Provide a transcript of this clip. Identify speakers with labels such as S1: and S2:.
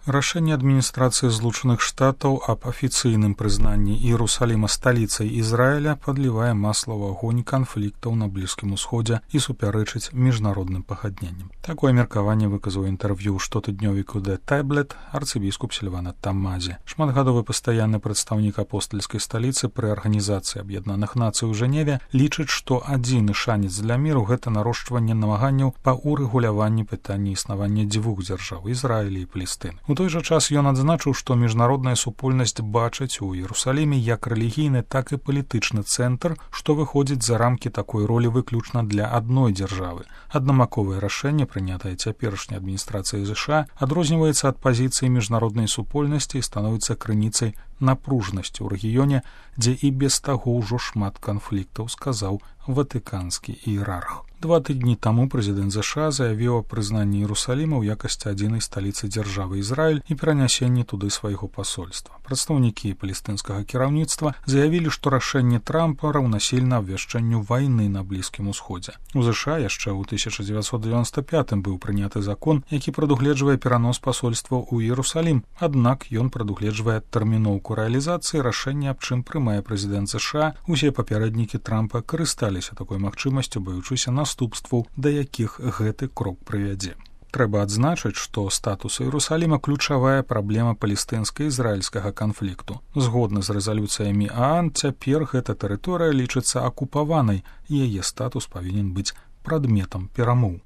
S1: Рашэнне адміністрацыі Злучаных Штатаў аб афіцыйным прызнанні Іерусаліма сталіцай Ізраіля падлівае масла ў агонь канфліктаў на Блізкім Усходзе і супярэчыць міжнародным пагадненням. Такое меркаванне выказаў інтэрв'ю штотыднёвіку The Tablet арцыбіскуп Сільвана Тамазі. Шматгадовы пастаянны прадстаўнік апостальскай сталіцы пры Арганізацыі Аб'яднаных Нацый у Жэневе лічыць, што адзіны шанец для міру гэта нарошчванне намаганняў па урэгуляванні пытання існавання дзвюх дзяржаў Ізраіля і Палестыны. У той жа час ён адзначыў, што міжнародная супольнасць бачыць у Іерусаліме як рэлігійны, так і палітычны цэнтр, што выходзіць за рамкі такой ролі выключна для адной дзяржавы. Аднамаковае рашэнне, прынятае цяперашняй адміністрацыяй ЗША, адрозніваецца ад пазіцыі міжнароднай супольнасці і становіцца крыніцай напружнасці ў рэгіёне, дзе і без таго ўжо шмат канфліктаў, сказаў ватыканскі іерарх. 2 тыдні таму прэзідэнт ЗША заявіў аб прызнанні Іерусаліма ў якасці адзінай сталіцы дзяржавы Ізраіль і перанясенні туды свайго пасольства. Прадстаўнікі палестынскага кіраўніцтва заявілі, што рашэнне Трампа раўнасільна абвяшчэнню вайны на Блізкім Усходзе. У ЗША яшчэ ў 1995 быў прыняты закон, які прадугледжвае перанос пасольства ў Іерусалім, аднак ён прадугледжвае тэрміноўку рэалізацыі рашэння, аб чым прымае прэзідэнт ЗША. Усе папярэднікі Трампа карысталіся такой магчымасцю, баючыся наступстваў, да якіх гэты крок прывядзе. Трэба адзначыць, што статус Іерусаліма ключавая праблема палестынска-ізраільскага канфлікту. Згодна з рэзалюцыямі ААН, цяпер гэта тэрыторыя лічыцца акупаванай, і яе статус павінен быць прадметам перамоў.